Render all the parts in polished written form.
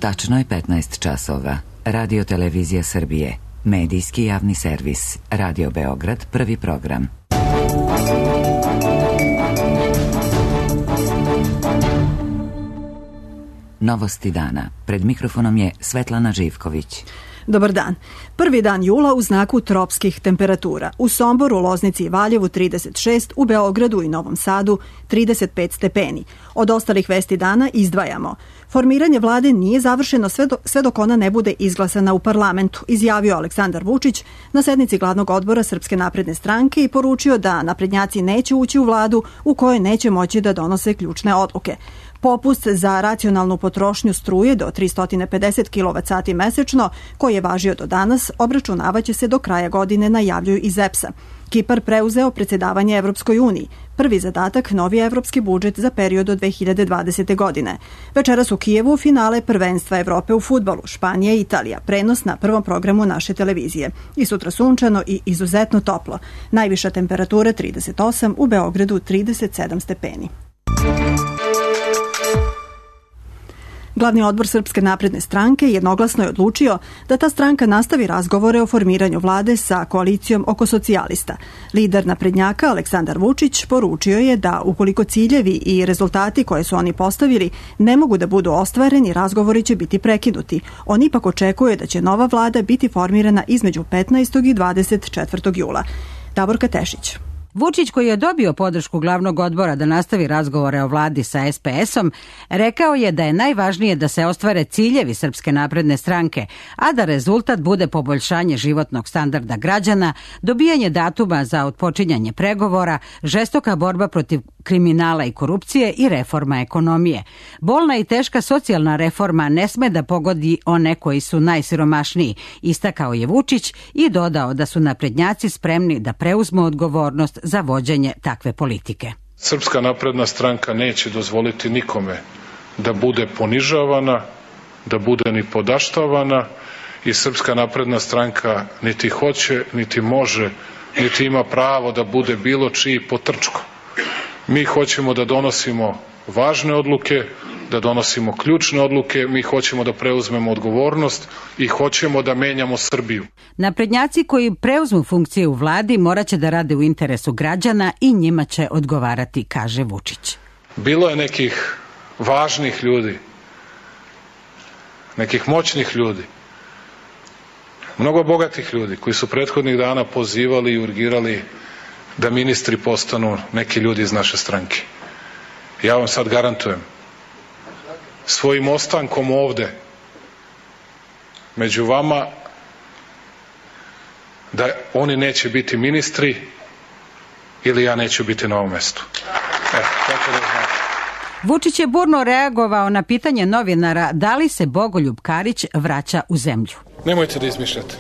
Tačno je 15 časova. Radio Televizija Srbije. Medijski javni servis. Radio Beograd, prvi program. Novosti dana. Pred mikrofonom je Svetlana Živković. Dobar dan. Prvi dan jula u znaku tropskih temperatura. U Somboru, Loznici i Valjevu 36, u Beogradu i Novom Sadu 35 stepeni. Od ostalih vesti dana izdvajamo. Formiranje vlade nije završeno sve dok ona ne bude izglasana u parlamentu, izjavio Aleksandar Vučić na sednici glavnog odbora Srpske napredne stranke i poručio da naprednjaci neće ući u vladu u kojoj neće moći da donose ključne odluke. Popust za racionalnu potrošnju struje do 350 kWh mesečno, koji je važio do danas, obračunavaće se do kraja godine, najavljuju iz EPS-a. Kipar preuzeo predsjedavanje Evropskoj uniji. Prvi zadatak, novi evropski budžet za period od 2020. godine. Večeras u Kijevu finale prvenstva Evrope u fudbalu, Španija i Italija, prenos na prvom programu naše televizije. I sutra sunčano i izuzetno toplo. Najviša temperatura 38, u Beogradu 37 stepeni. Glavni odbor Srpske napredne stranke jednoglasno je odlučio da ta stranka nastavi razgovore o formiranju vlade sa koalicijom oko socijalista. Lider naprednjaka Aleksandar Vučić poručio je da ukoliko ciljevi i rezultati koje su oni postavili ne mogu da budu ostvareni, razgovori će biti prekinuti. On ipak očekuje da će nova vlada biti formirana između 15. i 24. jula. Davorka Tešić. Vučić, koji je dobio podršku glavnog odbora da nastavi razgovore o vladi sa SPS-om, rekao je da je najvažnije da se ostvare ciljevi Srpske napredne stranke, a da rezultat bude poboljšanje životnog standarda građana, dobijanje datuma za otpočinjanje pregovora, žestoka borba protiv kriminala i korupcije i reforma ekonomije. Bolna i teška socijalna reforma ne sme da pogodi one koji su najsiromašniji, istakao je Vučić i dodao da su naprednjaci spremni da preuzmu odgovornost za vođenje takve politike. Srpska napredna stranka neće dozvoliti nikome da bude ponižavana, da bude ni podaštavana i Srpska napredna stranka niti hoće, niti može, niti ima pravo da bude bilo čiji potrčko. Mi hoćemo da donosimo važne odluke, da donosimo ključne odluke, mi hoćemo da preuzmemo odgovornost i hoćemo da menjamo Srbiju. Naprednjaci koji preuzmu funkcije u vladi morat će da rade u interesu građana i njima će odgovarati, kaže Vučić. Bilo je nekih važnih ljudi, nekih moćnih ljudi, mnogo bogatih ljudi koji su prethodnih dana pozivali i urgirali da ministri postanu neki ljudi iz naše stranke. Ja vam sad garantujem, svojim ostankom ovde među vama, da oni neće biti ministri ili ja neću biti na ovom mestu. Tako da znate. Vučić je burno reagovao na pitanje novinara da li se Bogoljub Karić vraća u zemlju. Nemojte da izmišljate.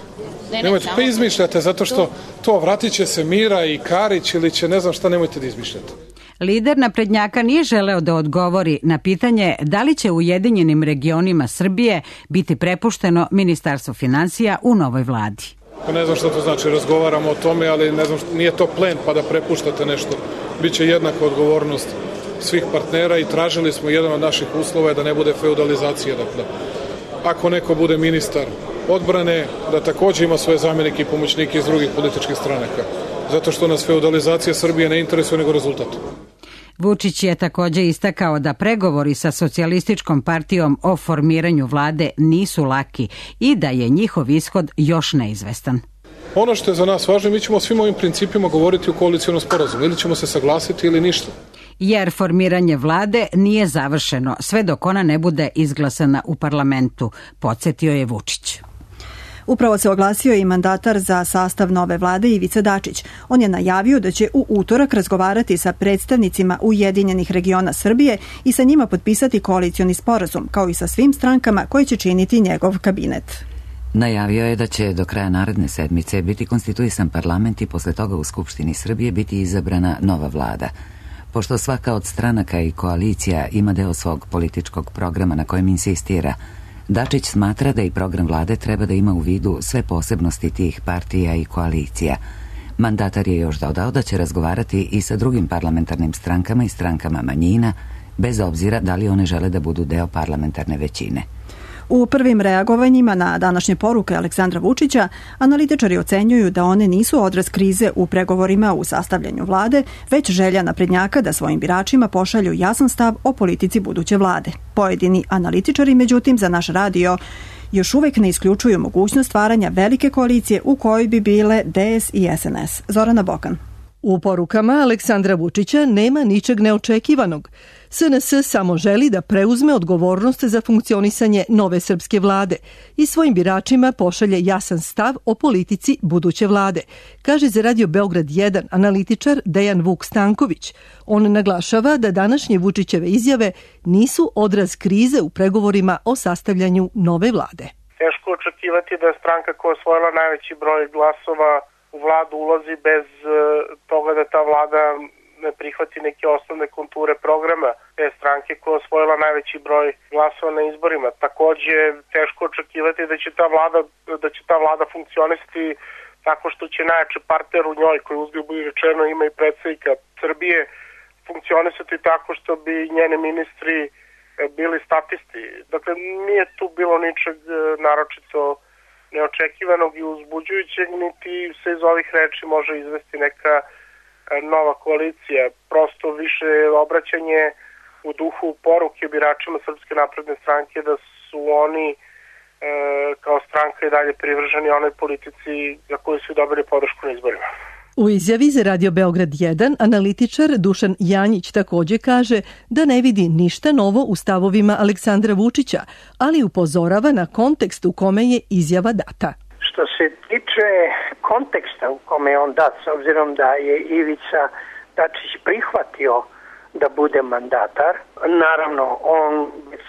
Nemojte, pa izmišljate zato što to vratit će se Mira i Karić ili će ne znam šta, nemojte da izmišljate. Lider naprednjaka nije želeo da odgovori na pitanje da li će u Ujedinjenim regionima Srbije biti prepušteno Ministarstvo finansija u novoj vladi. Pa ne znam šta to znači, razgovaramo o tome, ali ne znam, nije to plen pa da prepuštate nešto. Biće jednaka odgovornost svih partnera i tražili smo, jedan od naših uslova je da ne bude feudalizacija. Dakle, ako neko bude ministar odbrane, da takođe ima svoje zamjenike i pomoćnike iz drugih političkih stranaka. Zato što nas feudalizacija Srbije ne interesuje nego rezultat. Vučić je takođe istakao da pregovori sa Socijalističkom partijom o formiranju vlade nisu laki i da je njihov ishod još neizvestan. Ono što je za nas važno, mi ćemo o svim ovim principima govoriti u koalicionom sporazumu. Ili ćemo se saglasiti ili ništa. Jer formiranje vlade nije završeno sve dok ona ne bude izglasana u parlamentu, podsjetio je Vučić. Upravo se oglasio i mandatar za sastav nove vlade Ivica Dačić. On je najavio da će u utorak razgovarati sa predstavnicima Ujedinjenih regiona Srbije i sa njima potpisati koalicioni sporazum, kao i sa svim strankama koje će činiti njegov kabinet. Najavio je da će do kraja naredne sedmice biti konstituisan parlament i posle toga u Skupštini Srbije biti izabrana nova vlada. Pošto svaka od stranaka i koalicija ima deo svog političkog programa na kojem insistira, Dačić smatra da i program vlade treba da ima u vidu sve posebnosti tih partija i koalicija. Mandatar je još dodao da će razgovarati i sa drugim parlamentarnim strankama i strankama manjina, bez obzira da li one žele da budu deo parlamentarne većine. U prvim reagovanjima na današnje poruke Aleksandra Vučića, analitičari ocenjuju da one nisu odraz krize u pregovorima u sastavljanju vlade, već želja naprednjaka da svojim biračima pošalju jasan stav o politici buduće vlade. Pojedini analitičari, međutim, za naš radio još uvek ne isključuju mogućnost stvaranja velike koalicije u kojoj bi bile DS i SNS. Zorana Bokan. U porukama Aleksandra Vučića nema ničeg neočekivanog. SNS samo želi da preuzme odgovornost za funkcionisanje nove srpske vlade i svojim biračima pošalje jasan stav o politici buduće vlade, kaže za Radio Beograd 1 analitičar Dejan Vuk Stanković. On naglašava da današnje Vučićeve izjave nisu odraz krize u pregovorima o sastavljanju nove vlade. Teško očekivati da je stranka koja je osvojila najveći broj glasova u vladu ulazi bez toga da ta vlada ne prihvati neke osnovne konture programa te stranke koja je osvojila najveći broj glasova na izborima. Takođe, teško očekivati da će ta vlada funkcionisati tako što će najjači partner u njoj, koji uzgled budi rečeno ima i predsjednika Srbije, funkcionisati tako što bi njeni ministri bili statisti. Dakle, nije tu bilo ničeg naročito neočekivanog i uzbuđujućeg, niti se iz ovih reči može izvesti neka nova koalicija. Prosto više obraćanje u duhu poruke biračima Srpske napredne stranke da su oni kao stranka i dalje privrženi onoj politici za koju su dobili podršku na izborima. U izjavi za Radio Beograd 1 analitičar Dušan Janjić takođe kaže da ne vidi ništa novo u stavovima Aleksandra Vučića, ali upozorava na kontekst u kome je izjava data. Što se tiče konteksta u kome je on dat, s obzirom da je Ivica Dačić prihvatio da bude mandatar, naravno on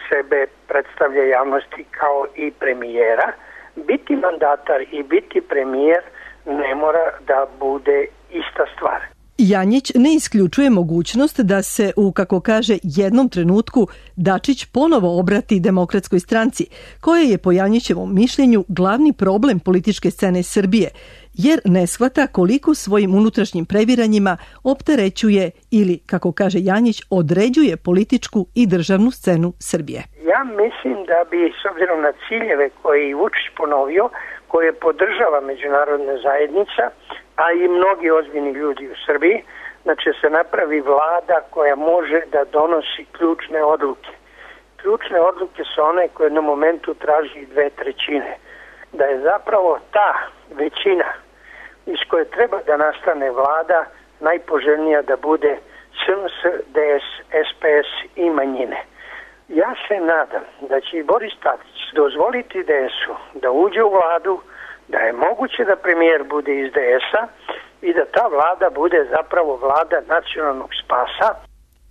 sebe predstavlja javnosti kao i premijera, biti mandatar i biti premijer ne mora da bude ista stvar. Janjić ne isključuje mogućnost da se u, kako kaže, jednom trenutku Dačić ponovo obrati Demokratskoj stranci, koja je po Janjićevom mišljenju glavni problem političke scene Srbije, jer ne shvata koliko svojim unutrašnjim previranjima opterećuje ili, kako kaže Janjić, određuje političku i državnu scenu Srbije. Ja mislim da bi, s obzirom na ciljeve koje je Vučić ponovio, koje podržava međunarodna zajednica, a i mnogi ozbiljni ljudi u Srbiji, da će se napravi vlada koja može da donosi ključne odluke. Ključne odluke su one koje na momentu traži 2/3. Da je zapravo ta većina iz koje treba da nastane vlada najpoželjnija da bude SNS, DS, SPS i manjine. Ja se nadam da će i Boris Tadić dozvoliti DS-u da uđe u vladu, da je moguće da premijer bude iz DS-a i da ta vlada bude zapravo vlada nacionalnog spasa.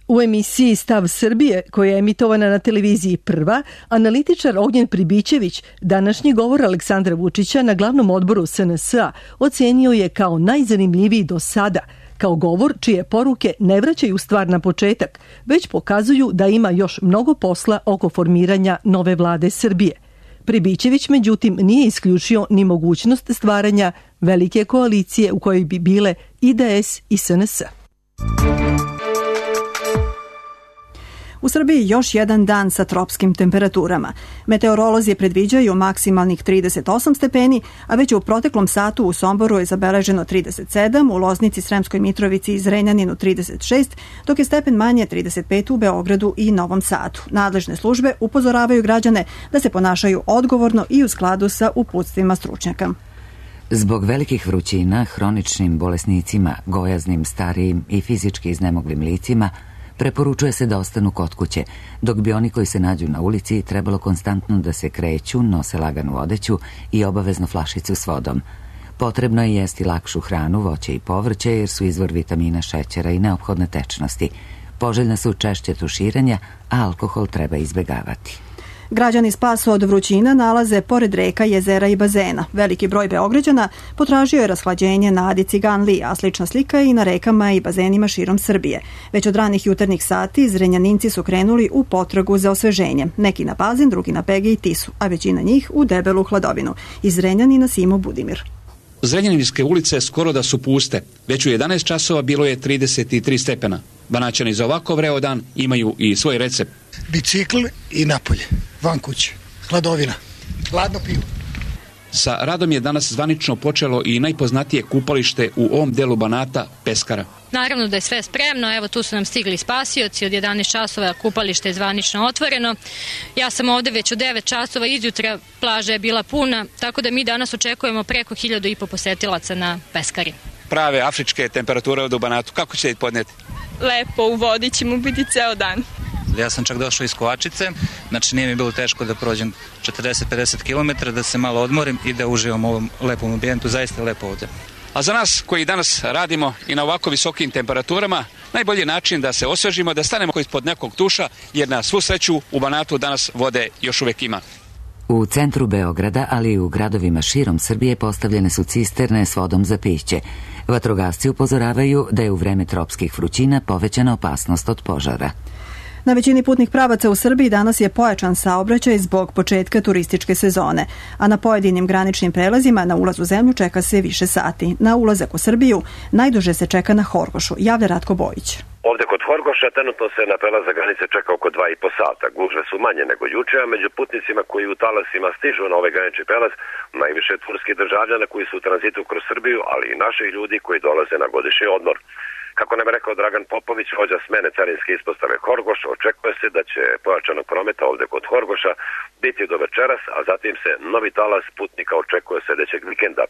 U emisiji Stav Srbije, koja je emitovana na televiziji Prva, analitičar Ognjen Pribićević današnji govor Aleksandra Vučića na glavnom odboru SNS-a ocenio je kao najzanimljiviji do sada, kao govor čije poruke ne vraćaju stvar na početak, već pokazuju da ima još mnogo posla oko formiranja nove vlade Srbije. Pribićević, međutim, nije isključio ni mogućnost stvaranja velike koalicije u kojoj bi bile IDS i SNS. U Srbiji još jedan dan sa tropskim temperaturama. Meteorolozi predviđaju maksimalnih 38 stepeni, a već u proteklom satu u Somboru je zabeleženo 37, u Loznici, Sremskoj Mitrovici i Zrenjaninu 36, dok je stepen manje 35 u Beogradu i Novom Sadu. Nadležne službe upozoravaju građane da se ponašaju odgovorno i u skladu sa uputstvima stručnjaka. Zbog velikih vrućina, hroničnim bolesnicima, gojaznim, starijim i fizički iznemoglim licima preporučuje se da ostanu kod kuće, dok bi oni koji se nađu na ulici trebalo konstantno da se kreću, nose laganu odeću i obavezno flašicu s vodom. Potrebno je jesti lakšu hranu, voće i povrće jer su izvor vitamina, šećera i neophodne tečnosti. Poželjna su češće tuširanja, a alkohol treba izbegavati. Građani spas od vrućina nalaze pored reka, jezera i bazena. Veliki broj Beograđana potražio je rashlađenje na Adi Ciganliji, a slična slika i na rekama i bazenima širom Srbije. Već od ranih jutarnjih sati Zrenjaninci su krenuli u potragu za osveženjem. Neki na bazen, drugi na Pege i Tisu, a većina njih u debelu hladovinu. Iz Zrenjanina Simo Budimir. Zrenjaninske ulice skoro da su puste. Već u 11 časova bilo je 33 stepena. Banaćani za ovako vreo dan imaju i svoj recept. Bicikl i napolje, van kuće. hladovina, hladno pivo. Sa radom je danas zvanično počelo i najpoznatije kupalište u ovom delu Banata, Peskara. Naravno da je sve spremno, evo tu su nam stigli spasioci, od 11 časova kupalište je zvanično otvoreno. Ja sam ovde već od 9 časova, izjutra plaža je bila puna, tako da mi danas očekujemo preko 1.500 posetilaca na Peskari. Prave afričke temperature ovde u Banatu, kako ćete podnijeti? Lepo, u vodi ćemo biti ceo dan. Ja sam čak došao iz Kovačice, znači nije mi bilo teško da prođem 40-50 km, da se malo odmorim i da uživam u ovom lepom ambijentu, zaista je lepo ovde. A za nas koji danas radimo i na ovako visokim temperaturama, najbolji način da se osvežimo, da stanemo ispod nekog tuša, jer na svu sreću u Banatu danas vode još uvek ima. U centru Beograda, ali i u gradovima širom Srbije postavljene su cisterne s vodom za piće. Vatrogasci upozoravaju da je u vreme tropskih vrućina povećana opasnost od požara. Na većini putnih pravaca u Srbiji danas je pojačan saobraćaj zbog početka turističke sezone, a na pojedinim graničnim prelazima na ulaz u zemlju čeka se više sati. Na ulazak u Srbiju najduže se čeka na Horgošu, javlja Ratko Bojić. Ovde kod Horgoša trenutno se na prelaz granice čeka oko 2,5 sata. Gužve su manje nego juče, a među putnicima koji u talasima stižu na ovaj granični prelaz najviše turskih državljana koji su u tranzitu kroz Srbiju, ali i naših ljudi koji dolaze na godišnji odmor. Kako nam je rekao Dragan Popović, vođa smene carinske ispostave Horgoš, očekuje se da će pojačanog prometa ovde kod Horgoša biti do večeras, a zatim se novi talas putnika očekuje sljedećeg vikenda.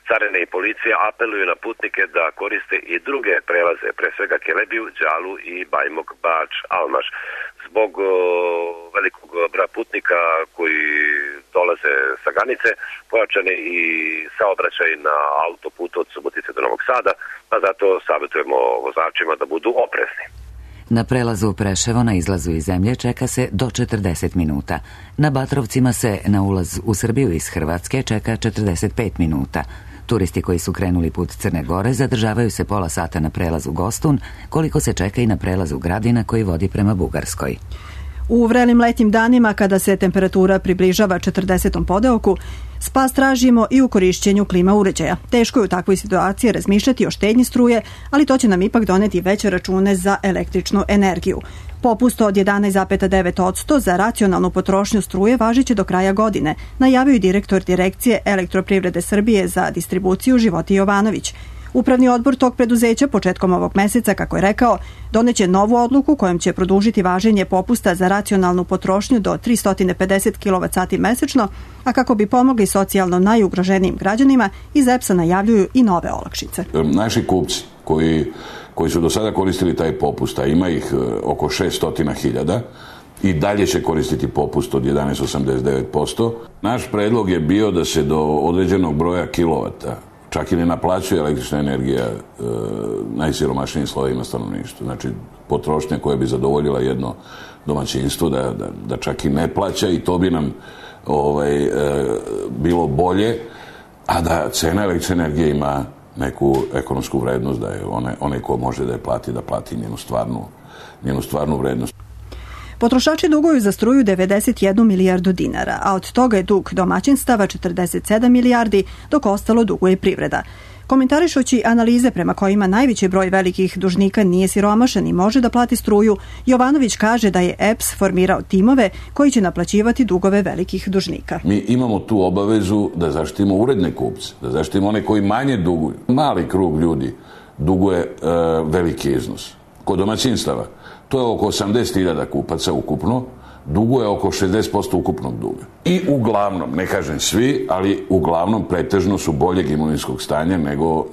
Carine i policija apeluju na putnike da koriste i druge prelaze, pre svega Kelebiju, Đalu i Bajmok, Bač, Almaš. Zbog velikog broja putnika koji dolaze sa granice, pojačan je i saobraćaj na autoputu od Subotice do Novog Sada, a zato savjetujemo vozačima da budu oprezni. Na prelazu Preševo na izlazu iz zemlje čeka se do 40 minuta. Na Batrovcima se na ulaz u Srbiju iz Hrvatske čeka 45 minuta. Turisti koji su krenuli put Crne Gore zadržavaju se pola sata na prelazu Gostun, koliko se čeka i na prelazu Gradina koji vodi prema Bugarskoj. U vrelim letnjim danima, kada se temperatura približava 40. podeoku, spas tražimo i u korišćenju klima uređaja. Teško je u takvoj situaciji razmišljati o štednji struje, ali to će nam ipak doneti veće račune za električnu energiju. Popust od 11,9% za racionalnu potrošnju struje važiće do kraja godine, najavio je direktor Direkcije Elektroprivrede Srbije za distribuciju Životi Jovanović. Upravni odbor tog preduzeća početkom ovog meseca, kako je rekao, doneće novu odluku kojom će produžiti važenje popusta za racionalnu potrošnju do 350 kWh mesečno, a kako bi pomogli socijalno najugroženijim građanima, iz EPS-a najavljuju i nove olakšice. Naši kupci koji su do sada koristili taj popust, a ima ih oko 600.000, i dalje će koristiti popust od 11,89%. Naš predlog je bio da se do određenog broja kilovata čak i ne naplaćuje električna energija najsiromašnijim slojevima stanovništva. Znači, potrošnja koja bi zadovoljila jedno domaćinstvo da čak i ne plaća, i to bi nam bilo bolje, a da cena električne energije ima neku ekonomsku vrednost, da je onaj ko može da je plati, da plati njenu stvarnu vrednost. Potrošači duguju za struju 91 milijardu dinara, a od toga je dug domaćinstava 47 milijardi, dok ostalo duguje privreda. Komentarišući analize prema kojima najveći broj velikih dužnika nije siromašan i može da plati struju, Jovanović kaže da je EPS formirao timove koji će naplaćivati dugove velikih dužnika. Mi imamo tu obavezu da zaštitimo uredne kupce, da zaštitimo one koji manje duguju. Mali krug ljudi duguje veliki iznos. Kod domaćinstava to je oko 80.000 kupaca ukupno, duguje oko 60% ukupnog duga. I uglavnom, ne kažem svi, ali uglavnom pretežno su boljeg imovinskog stanja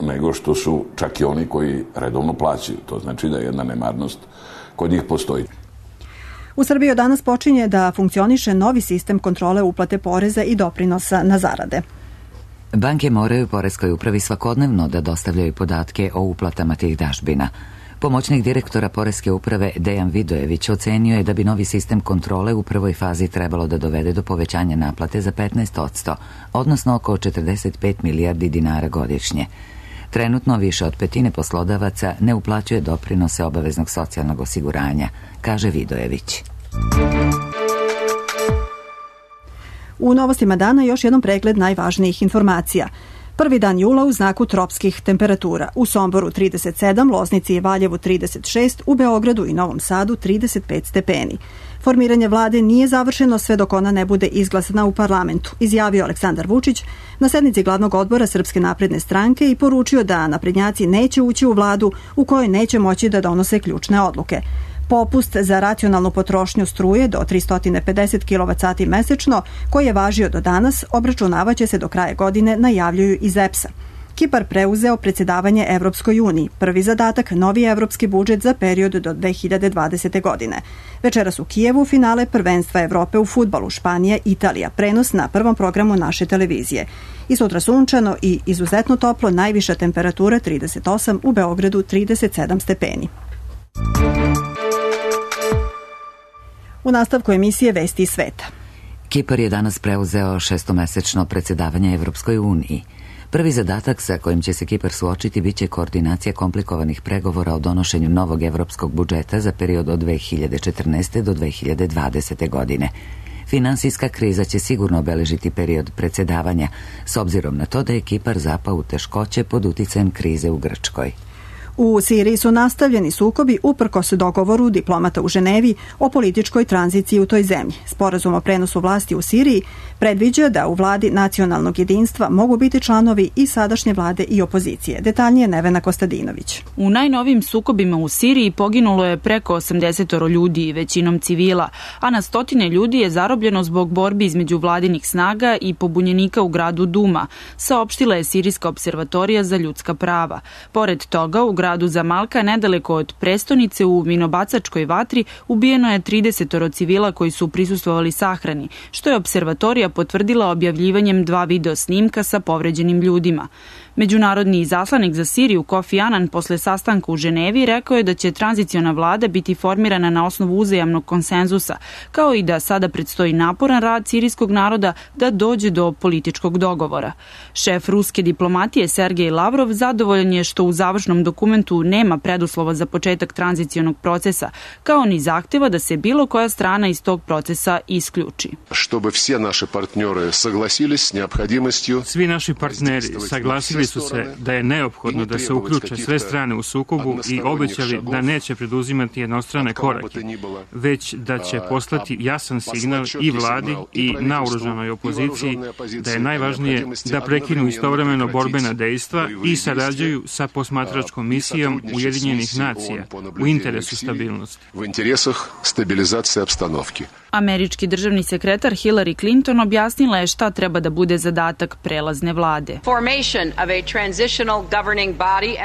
nego što su čak i oni koji redovno plaćaju. To znači da jedna nemarnost kod njih postoji. U Srbiji od danas počinje da funkcioniše novi sistem kontrole uplate poreza i doprinosa na zarade. Banke moraju poreskoj upravi svakodnevno da dostavljaju podatke o uplatama tih dažbina. Pomoćnik direktora Poreske uprave Dejan Vidojević ocenio je da bi novi sistem kontrole u prvoj fazi trebalo da dovede do povećanja naplate za 15%, odnosno oko 45 milijardi dinara godišnje. Trenutno više od petine poslodavaca ne uplaćuje doprinose obaveznog socijalnog osiguranja, kaže Vidojević. U novostima dana još jednom pregled najvažnijih informacija. Prvi dan jula u znaku tropskih temperatura. U Somboru 37, Loznici i Valjevu 36, u Beogradu i Novom Sadu 35 stepeni. Formiranje vlade nije završeno sve dok ona ne bude izglasana u parlamentu, izjavio Aleksandar Vučić na sednici glavnog odbora Srpske napredne stranke i poručio da naprednjaci neće ući u vladu u kojoj neće moći da donose ključne odluke. Popust za racionalnu potrošnju struje do 350 kWh mesečno, koji je važio do danas, obračunavaće se do kraja godine, najavljuju iz EPS-a. Kipar preuzeo predsjedavanje Evropskoj uniji, prvi zadatak novi evropski budžet za period do 2020. godine. Večeras u Kijevu finale prvenstva Evrope u fudbalu Španija-Italija, prenos na prvom programu naše televizije. I sutra sunčano i izuzetno toplo, najviša temperatura 38, u Beogradu 37 stepeni. U nastavku emisije Vesti iz sveta. Kipar je danas preuzeo šestomesečno predsjedavanje Evropskoj uniji. Prvi zadatak sa kojim će se Kipar suočiti biće koordinacija komplikovanih pregovora o donošenju novog evropskog budžeta za period od 2014. do 2020. godine. Finansijska kriza će sigurno obeležiti period predsjedavanja, s obzirom na to da je Kipar zapao u teškoće pod uticajem krize u Grčkoj. U Siriji su nastavljeni sukobi uprkos dogovoru diplomata u Ženevi o političkoj tranziciji u toj zemlji. Sporazum o prenosu vlasti u Siriji predviđa da u vladi nacionalnog jedinstva mogu biti članovi i sadašnje vlade i opozicije. Detaljnije Nevena Kostadinović. U najnovim sukobima u Siriji poginulo je preko 80 ljudi, većinom civila, a na stotine ljudi je zarobljeno zbog borbi između vladinih snaga i pobunjenika u gradu Duma, saopštila je Sirijska observatorija za ljudska prava. Pored toga, u gradu Zamalka, nedaleko od prestonice u minobacačkoj vatri, ubijeno je 30 civila koji su prisustvovali sahrani, što je observatorija potvrdila objavljivanjem 2 video snimka sa povređenim ljudima. Međunarodni izaslanik za Siriju Kofi Anan posle sastanka u Ženevi rekao je da će tranziciona vlada biti formirana na osnovu uzajamnog konsenzusa, kao i da sada predstoji naporan rad sirijskog naroda da dođe do političkog dogovora. Šef ruske diplomatije Sergej Lavrov zadovoljan je što u završnom dokumentu nema preduslova za početak tranzicionog procesa, kao ni zahteva da se bilo koja strana iz tog procesa isključi. Svi naši partneri saglasili su se da je neophodno da se uključe sve strane u sukobu i obećali da neće preduzimati jednostrane korake, već da će poslati jasan signal i vladi i naoružanoj opoziciji da je najvažnije da prekinu istovremeno borbena dejstva i sarađuju sa posmatračkom misijom Ujedinjenih nacija u interesu stabilnosti. Američki državni sekretar Hillary Clinton objasnila je šta treba da bude zadatak prelazne vlade.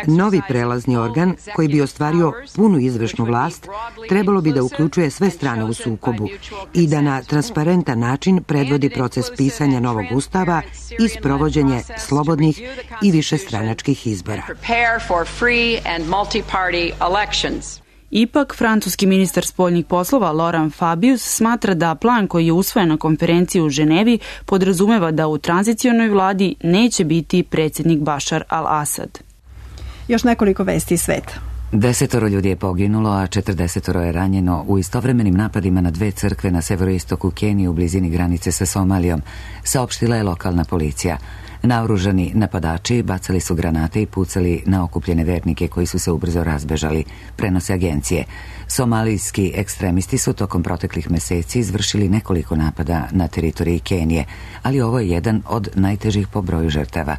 Novi prelazni organ koji bi ostvario punu izvršnu vlast trebalo bi da uključuje sve strane u sukobu i da na transparentan način predvodi proces pisanja novog ustava i sprovođenje slobodnih i višestranačkih izbora. Ipak, francuski ministar spoljnih poslova Laurent Fabius smatra da plan koji je usvojen na konferenciji u Ženevi podrazumeva da u tranzicionoj vladi neće biti predsjednik Bašar al-Asad. Još nekoliko vesti iz sveta. 10 ljudi je poginulo, a 40 je ranjeno u istovremenim napadima na 2 crkve na severoistoku Kenije u blizini granice sa Somalijom, saopštila je lokalna policija. Naoružani napadači bacali su granate i pucali na okupljene vernike koji su se ubrzo razbežali, prenose agencije. Somalijski ekstremisti su tokom proteklih meseci izvršili nekoliko napada na teritoriji Kenije, ali ovo je jedan od najtežih po broju žrtava.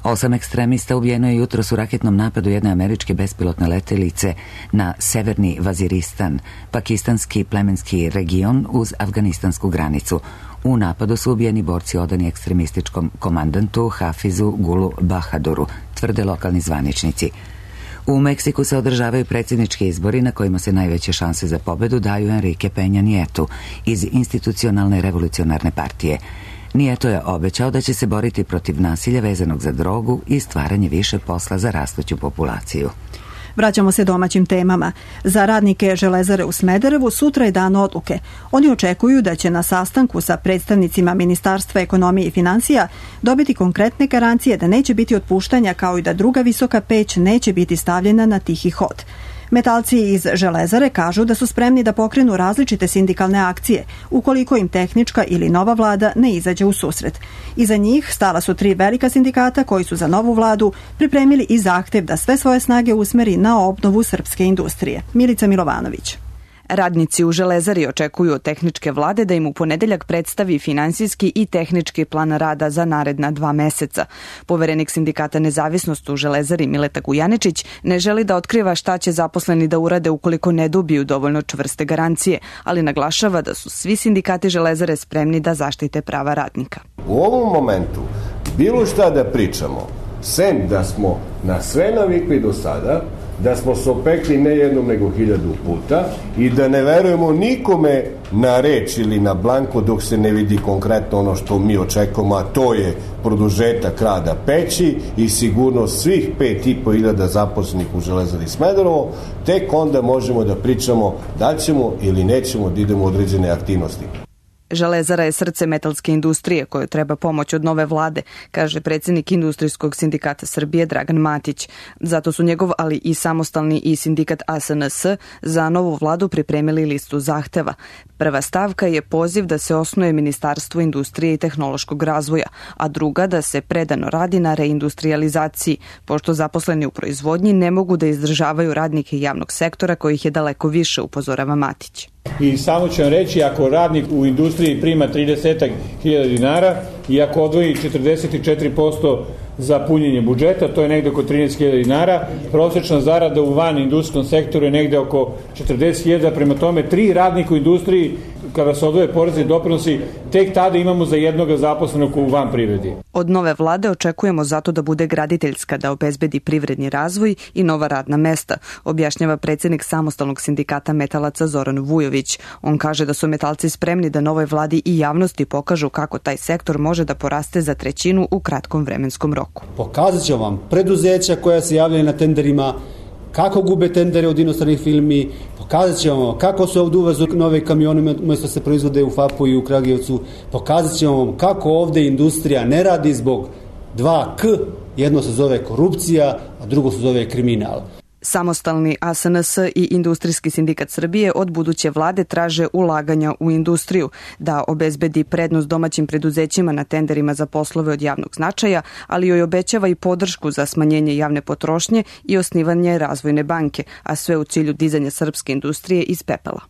8 ekstremista ubijeno je jutros u raketnom napadu jedne američke bespilotne letelice na severni Vaziristan, pakistanski plemenski region uz afganistansku granicu. U napadu su ubijeni borci odani ekstremističkom komandantu Hafizu Gulu Bahaduru, tvrde lokalni zvaničnici. U Meksiku se održavaju predsjednički izbori na kojima se najveće šanse za pobedu daju Enrique Peña Nietu iz Institucionalne revolucionarne partije. Nieto je obećao da će se boriti protiv nasilja vezanog za drogu i stvaranje više posla za rastuću populaciju. Vraćamo se domaćim temama. Za radnike Železare u Smederevu sutra je dan odluke. Oni očekuju da će na sastanku sa predstavnicima Ministarstva ekonomije i financija dobiti konkretne garancije da neće biti otpuštanja, kao i da druga visoka peć neće biti stavljena na tihi hod. Metalci iz Železare kažu da su spremni da pokrenu različite sindikalne akcije ukoliko im tehnička ili nova vlada ne izađe u susret. Iza njih stala su 3 velika sindikata koji su za novu vladu pripremili i zahtev da sve svoje snage usmeri na obnovu srpske industrije. Milica Milovanović. Radnici u Železari očekuju od tehničke vlade da im u ponedeljak predstavi finansijski i tehnički plan rada za naredna 2 meseca. Poverenik sindikata Nezavisnost u Železari Mileta Gujaničić ne želi da otkriva šta će zaposleni da urade ukoliko ne dobiju dovoljno čvrste garancije, ali naglašava da su svi sindikati Železare spremni da zaštite prava radnika. U ovom momentu bilo šta da pričamo, sem da smo na sve navikli do sada, da smo se opekli ne jednom nego 1000 puta i da ne verujemo nikome na reč ili na blanko dok se ne vidi konkretno ono što mi očekujemo, a to je produžetak rada peći i sigurnost svih 5.500 zaposlenih u Železari Smederevo, tek onda možemo da pričamo da ćemo ili nećemo da idemo u određene aktivnosti. Železara je srce metalske industrije kojoj treba pomoć od nove vlade, kaže predsjednik Industrijskog sindikata Srbije Dragan Matić. Zato su njegov, ali i samostalni i sindikat ASNS za novu vladu pripremili listu zahteva. Prva stavka je poziv da se osnuje Ministarstvo industrije i tehnološkog razvoja, a druga da se predano radi na reindustrializaciji, pošto zaposleni u proizvodnji ne mogu da izdržavaju radnike javnog sektora kojih je daleko više, upozorava Matić. I samo ću vam reći, ako radnik u industriji prima 30.000 dinara i ako odvoji 44% za punjenje budžeta, to je negde oko 13.000 dinara, prosječna zarada u van industrijskom sektoru je negde oko 40.000, prema tome 3 radnika u industriji, kada se odvoje porezi i doprinosi, tek tada imamo za jednoga zaposlenog u van privredi. Od nove vlade očekujemo zato da bude graditeljska, da obezbedi privredni razvoj i nova radna mesta, objašnjava predsjednik samostalnog sindikata metalaca Zoran Vujović. On kaže da su metalci spremni da novoj vladi i javnosti pokažu kako taj sektor može da poraste za 1/3 u kratkom vremenskom roku. Pokazat ćemo vam preduzeća koja se javljaju na tenderima, kako gube tendere od inostranih firmi, pokazat ćemo vam kako se ovdje uvezu nove kamione umjesto se proizvode u FAP-u i u Kragujevcu, pokazat ćemo vam kako ovdje industrija ne radi zbog 2K, jedno se zove korupcija, a drugo se zove kriminal. Samostalni ASNS i Industrijski sindikat Srbije od buduće vlade traže ulaganja u industriju, da obezbedi prednost domaćim preduzećima na tenderima za poslove od javnog značaja, ali joj obećava i podršku za smanjenje javne potrošnje i osnivanje razvojne banke, a sve u cilju dizanja srpske industrije iz pepela.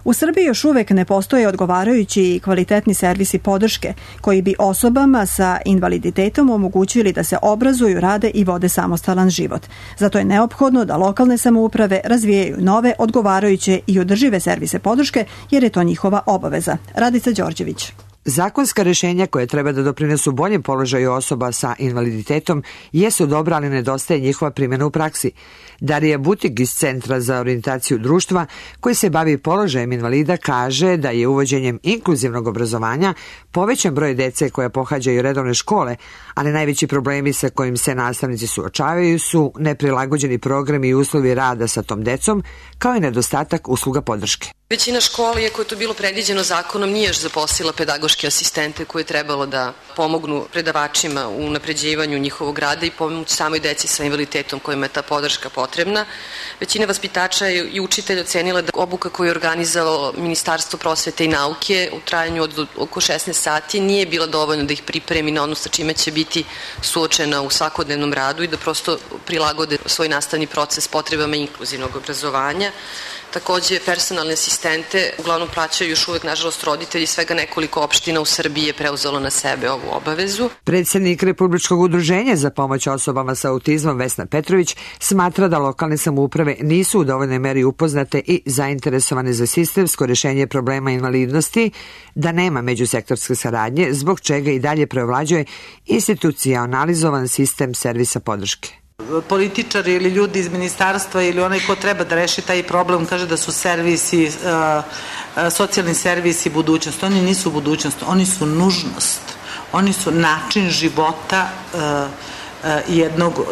U Srbiji još uvek ne postoje odgovarajući i kvalitetni servisi podrške koji bi osobama sa invaliditetom omogućili da se obrazuju, rade i vode samostalan život. Zato je neophodno da lokalne samouprave razvijaju nove, odgovarajuće i održive servise podrške jer je to njihova obaveza. Radica Đorđević. Zakonska rešenja koje treba da doprinesu boljem položaju osoba sa invaliditetom jesu dobra, ali nedostaje njihova primjena u praksi. Darija Butig iz Centra za orijentaciju društva, koji se bavi položajem invalida, kaže da je uvođenjem inkluzivnog obrazovanja povećan broj dece koja pohađaju redovne škole, ali najveći problemi sa kojim se nastavnici suočavaju su neprilagođeni programi i uslovi rada sa tom decom, kao i nedostatak usluga podrške. Većina škola, iako je to bilo predviđeno zakonom, nije još zaposlila pedagoške asistente koje je trebalo da pomognu predavačima u unapređivanju njihovog rada i pomoć samoj deci sa invaliditetom kojima je ta podrška potrebna. Većina vaspitača i učitelja ocenila da obuka koju je organizalo Ministarstvo prosvete i nauke u trajanju od oko 16 sati nije bila dovoljna da ih pripremi na ono sa čime će biti suočena u svakodnevnom radu i da prosto prilagode svoj nastavni proces potrebama inkluzivnog obrazovanja. Takođe, personalne asistente uglavnom plaćaju još uvek, nažalost, roditelji. Svega nekoliko opština u Srbiji je preuzelo na sebe ovu obavezu. Predsjednik Republičkog udruženja za pomoć osobama sa autizmom Vesna Petrović smatra da lokalne samouprave nisu u dovoljnoj meri upoznate i zainteresovane za sistemsko rešenje problema invalidnosti, da nema međusektorske saradnje, zbog čega i dalje preovlađuje institucionalizovan sistem servisa podrške. Političari ili ljudi iz ministarstva ili onaj ko treba da reši taj problem kaže da su servisi, socijalni servisi budućnost. Oni nisu budućnost, oni su nužnost. Oni su način života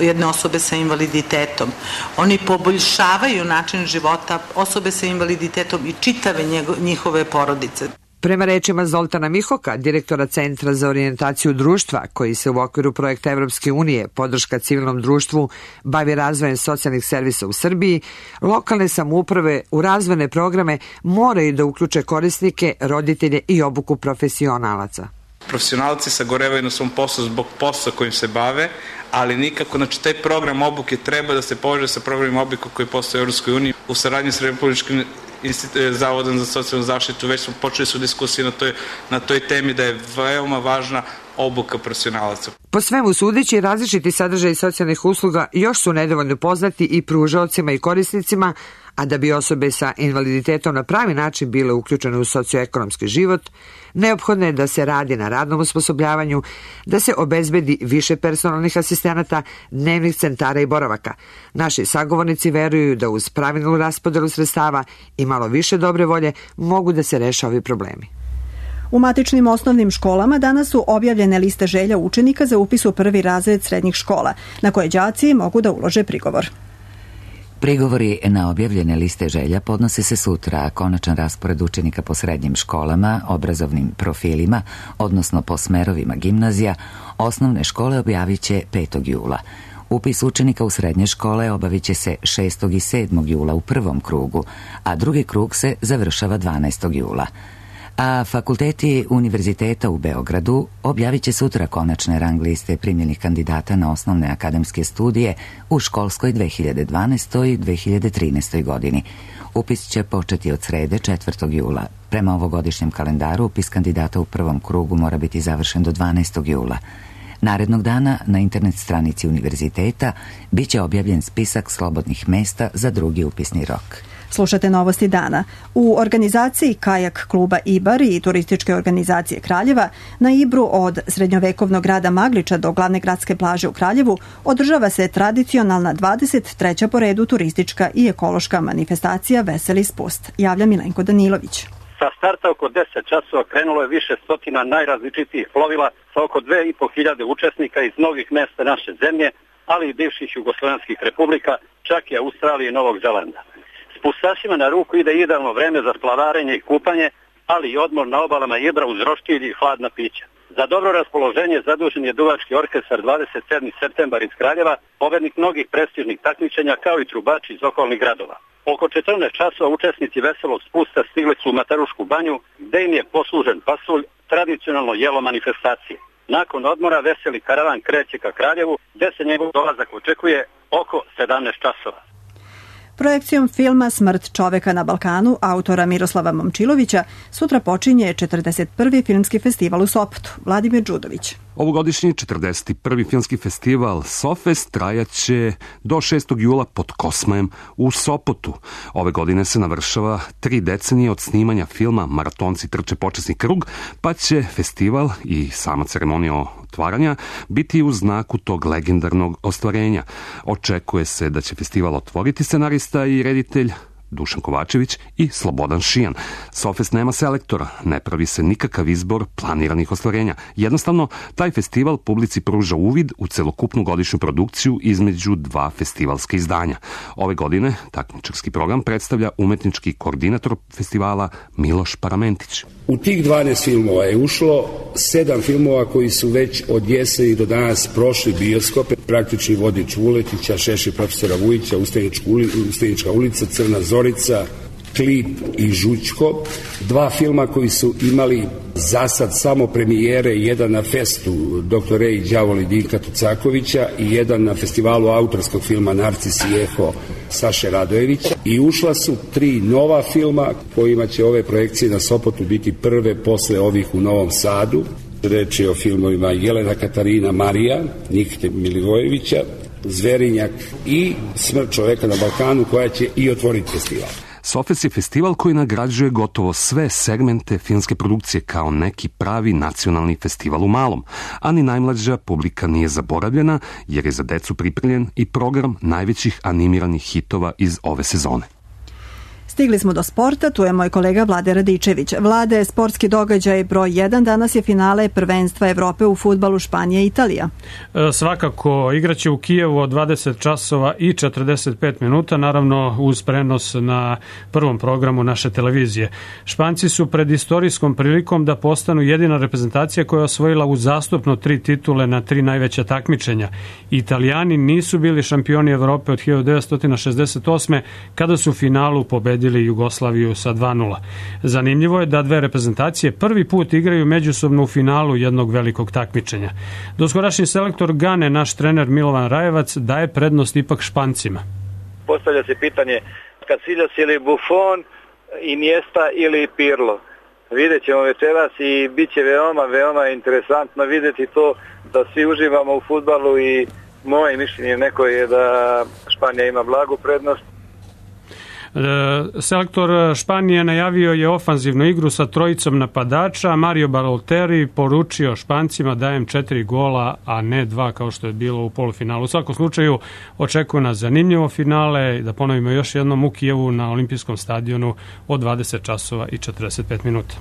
jedne osobe sa invaliditetom. Oni poboljšavaju način života osobe sa invaliditetom i čitave njihove porodice. Prema rečima Zoltana Mihoka, direktora Centra za orijentaciju društva, koji se u okviru projekta Evropske unije podrška civilnom društvu bavi razvojem socijalnih servisa u Srbiji, lokalne samouprave u razvojne programe moraju da uključe korisnike, roditelje i obuku profesionalaca. Profesionalci sagorevaju na svom poslu zbog posla kojim se bave, ali nikako, znači taj program obuke treba da se poveže sa programima obuke koji postoje u Europskoj uniji. U saradnji s Republičkim Zavodom za socijalnu zaštitu već smo počeli su diskusije na toj temi da je veoma važna obuka profesionalaca. Po svemu sudeći, različiti sadržaji socijalnih usluga još su nedovoljno poznati i pružaocima i korisnicima, a da bi osobe sa invaliditetom na pravi način bile uključene u socioekonomski život, neophodno je da se radi na radnom osposobljavanju, da se obezbedi više personalnih asistenata, dnevnih centara i boravaka. Naši sagovornici veruju da uz pravilnu raspodelu sredstava i malo više dobre volje mogu da se reše ovi problemi. U matičnim osnovnim školama danas su objavljene liste želja učenika za upis u prvi razred srednjih škola, na koje đaci mogu da ulože prigovor. Prigovori na objavljene liste želja podnose se sutra, a konačan raspored učenika po srednjim školama, obrazovnim profilima, odnosno po smerovima gimnazija, osnovne škole objavit će 5. jula. Upis učenika u srednje škole obavit će se 6. i 7. jula u prvom krugu, a drugi krug se završava 12. jula. A fakulteti Univerziteta u Beogradu objavit će sutra konačne rang liste primljenih kandidata na osnovne akademske studije u školskoj 2012. i 2013. godini. Upis će početi od srede 4. jula. Prema ovogodišnjem kalendaru upis kandidata u prvom krugu mora biti završen do 12. jula. Narednog dana na internet stranici univerziteta bit će objavljen spisak slobodnih mesta za drugi upisni rok. Slušate Novosti dana. U organizaciji Kajak kluba Ibar i turističke organizacije Kraljeva na Ibru od srednjovekovnog grada Magliča do glavne gradske plaže u Kraljevu održava se tradicionalna 23. po redu turistička i ekološka manifestacija Veseli spust. Javlja Milenko Danilović. Sa starta oko 10 časova krenulo je više stotina najrazličitijih plovila sa oko 2500 učesnika iz mnogih mesta naše zemlje, ali i bivših jugoslovenskih republika, čak i Australije i Novog Zelanda. Spustašima na ruku ide idealno vreme za splavarenje i kupanje, ali i odmor na obalama Ibra uz roštilj i hladna pića. Za dobro raspoloženje zadužen je duvački orkestar 27. septembar iz Kraljeva, pobednik mnogih prestižnih takmičenja kao i trubači iz okolnih gradova. Oko 14 časova učesnici veselog spusta stigli su u Matarušku banju, gde im je poslužen pasulj, tradicionalno jelo manifestacije. Nakon odmora veseli karavan kreće ka Kraljevu, gde se njegov dolazak očekuje oko 17 časova. Projekcijom filma Smrt čoveka na Balkanu autora Miroslava Momčilovića sutra počinje 41. filmski festival u Sopotu. Vladimir Đudović. Ovogodišnji 41. filmski festival Sofest trajaće do 6. jula pod Kosmajem u Sopotu. Ove godine se navršava 3 decenije od snimanja filma Maratonci trče počasni krug, pa će festival i sama ceremonija otvaranja biti u znaku tog legendarnog ostvarenja. Očekuje se da će festival otvoriti scenarista i reditelj Dušan Kovačević i Slobodan Šijan. Sofest nema selektora, ne pravi se nikakav izbor planiranih ostvarenja. Jednostavno, taj festival publici pruža uvid u celokupnu godišnju produkciju između dva festivalska izdanja. Ove godine takmičarski program predstavlja umetnički koordinator festivala Miloš Paramentić. U tih 12 filmova je ušlo 7 filmova koji su već od jeseni do danas prošli bioskope. Praktični vodič Vuletića, Šešir profesora Vujića, Ustanička ulica, Crna Zorica, Klip i Žućko. 2 filma koji su imali za sad samo premijere, jedan na festu Dr. Rej Đavoli Dinka Tucakovića i jedan na festivalu autorskog filma Narcis i Eho Saše Radojevića. I ušla su 3 nova filma kojima će ove projekcije na Sopotu biti prve posle ovih u Novom Sadu. Reč je o filmovima Jelena Katarina Marija, Nikite Milivojevića, Zverinjak i Smrt čoveka na Balkanu, koja će i otvoriti festival. Sofest je festival koji nagrađuje gotovo sve segmente filmske produkcije kao neki pravi nacionalni festival u malom, a ni najmlađa publika nije zaboravljena jer je za decu pripremljen i program najvećih animiranih hitova iz ove sezone. Stigli smo do sporta, tu je moj kolega Vlade Radičević. Vlade, sportski događaj broj 1, danas je finale prvenstva Evrope u fudbalu Španija i Italija. Svakako, igraće u Kijevu od 20 časova i 45 minuta, naravno uz prenos na prvom programu naše televizije. Španci su pred istorijskom prilikom da postanu jedina reprezentacija koja je osvojila uzastopno 3 titule na 3 najveća takmičenja. Italijani nisu bili šampioni Evrope od 1968. kada su u finalu pobedili pobedili Jugoslaviju sa 2:0. Zanimljivo je da dve reprezentacije prvi put igraju međusobno u finalu jednog velikog takmičenja. Doskorašnji selektor Gane, naš trener Milovan Rajevac, daje prednost ipak Špancima. Postavlja se pitanje Casillas ili Buffon, Iniesta ili Pirlo. Vidjet ćemo večeras i bit će veoma interesantno vidjeti to da svi uživamo u fudbalu i moje mišljenje neko je da Španija ima blagu prednost. Selektor Španije najavio je ofanzivnu igru sa trojicom napadača. Mario Balotelli poručio Špancima dajem 4 gola, a ne 2 kao što je bilo u polufinalu. U svakom slučaju očekuje nas zanimljivo finale, da ponovimo još jednom u Kijevu na Olimpijskom stadionu od 20 časova i 45 minuta.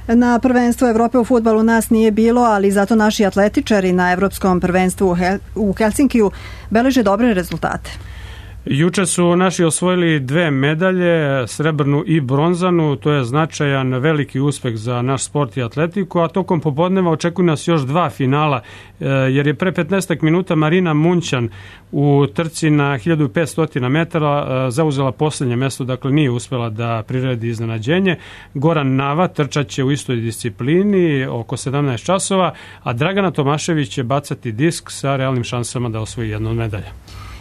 Na prvenstvu Evrope u fudbalu nas nije bilo, ali zato naši atletičari na Evropskom prvenstvu u Helsinkiju beleže dobre rezultate. Juče su naši osvojili 2 medalje, srebrnu i bronzanu, to je značajan veliki uspeh za naš sport i atletiku, a tokom popodneva očekuju nas još 2 finala, jer je pre 15 minuta Marina Munćan u trci na 1500 metara zauzela posljednje mesto, dakle nije uspela da priredi iznenađenje. Goran Nava trčaće u istoj disciplini oko 17 časova, a Dragana Tomašević će bacati disk sa realnim šansama da osvoji jednu od medalja.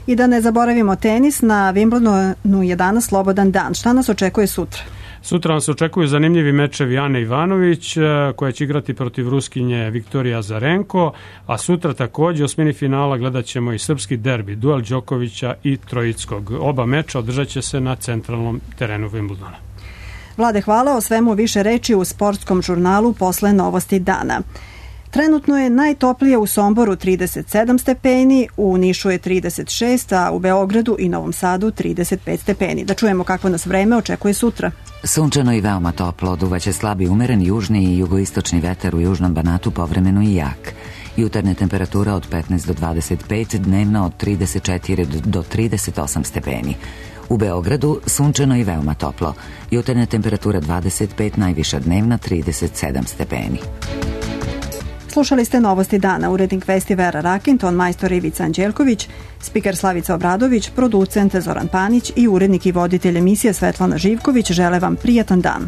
I da ne zaboravimo tenis, na Wimbledonu je danas slobodan dan. Šta nas očekuje sutra? Sutra nas očekuju zanimljivi mečevi Ane Ivanović, koja će igrati protiv Ruskinje Viktorija Azarenko, a sutra također u osmini finala gledat ćemo i srpski derbi, duel Đokovića i Trojickog. Oba meča održat će se na centralnom terenu Wimbledona. Vlade, hvala. O svemu više reči u sportskom žurnalu posle novosti dana. Trenutno je najtoplije u Somboru 37 stepeni, u Nišu je 36, a u Beogradu i Novom Sadu 35 stepeni. Da čujemo kako nas vreme očekuje sutra. Sunčano i veoma toplo, duvaće slabi umeren južni i jugoistočni vetar u južnom Banatu, povremeno i jak. Jutarnja temperatura od 15 do 25, dnevna od 34 do 38 stepeni. U Beogradu sunčano i veoma toplo. Jutarnja temperatura 25, najviša dnevna 37 stepeni. Slušali ste novosti dana, urednik vesti Vera Rakin, ton majstor Ivica Anđelković, spiker Slavica Obradović, producent Zoran Panić i urednik i voditelj emisije Svetlana Živković žele vam prijatan dan.